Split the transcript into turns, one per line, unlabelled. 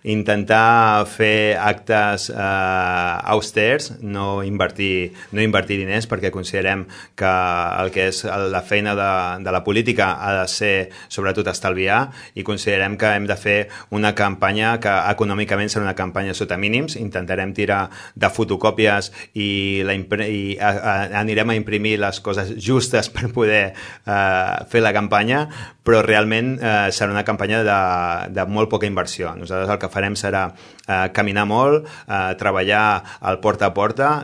intentar fer actes austers, no invertir diners, perquè considerem que el que és la feina de la política ha de ser sobretot estalviar, i considerem que hem de fer una campanya que econòmicament serà una campanya sota mínims. Intentarem tirar de fotocòpies i anirem a imprimir les coses justes per poder fer la campanya, però realment serà una campanya de molt poca inversió. Nosaltres el que farem serà caminar molt, treballar al porta a porta.